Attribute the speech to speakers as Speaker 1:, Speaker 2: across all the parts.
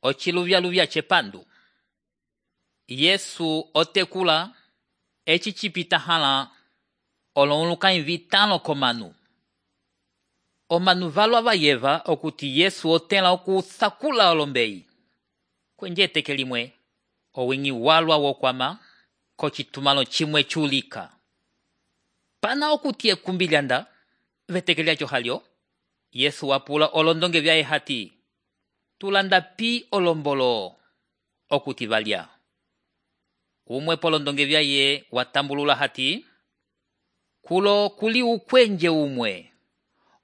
Speaker 1: Ociluvyaluvya cepandu. Yesu otekula eci cipita hala olonlukanyi vitalo komanu. Omanu valwa vayeva okuti Yesu otela okusakula olombeyi. Kwenje teke limwe owingi walwa wokwama kocitumalo cimwe culika. Pana okuti ekumbilyanda veteke lyaco halyo, Yesu wapula olondonge vyaye hati, tulanda pi olombolo okuti valya. Umwe polondonge vyaye watambulula hati, kulo kuli ukwenje umwe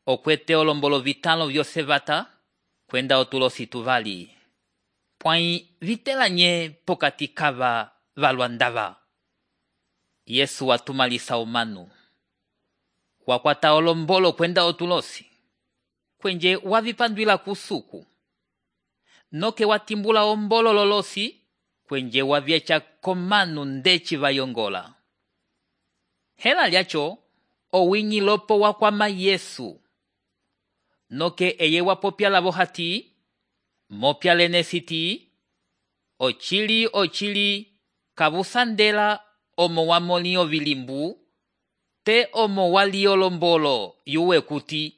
Speaker 1: okwete olombolo vitalo vyose vata kwenda otulosi tuvali. Pwai vitela nye pokati kava valwa ndava. Yesu watumalisa omanu. Wakwata olombolo kwenda otulosi. Kwenje wavipandwila kusuku. Noke watimbula ombolo lolosi kwenje wavyecha komanu ndeci vayongola. Hela lyacho owinyi lopo wakwama Yesu. Noke eye wapopya lavo hati, mopya lene siti, ochili kavusandela omo wamoli ovilimbu, te omo wali olombolo yuwe kuti.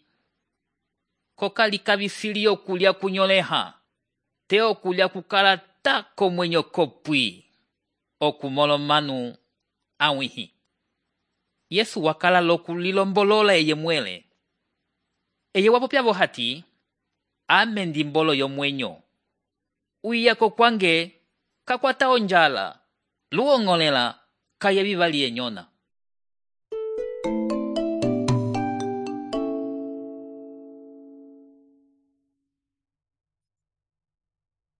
Speaker 1: Kokali kavisili okulya kunyoleha, te okulya kukala tako mwenyo kopwi, okumolo manu awihi. Yesu wakala lokulilombolola eye mwele. Eye wapopyavo hati, ame ndimbolo yomwenyo. Uyako kwange kakwata onjala, luongolela kaya vivali enyona.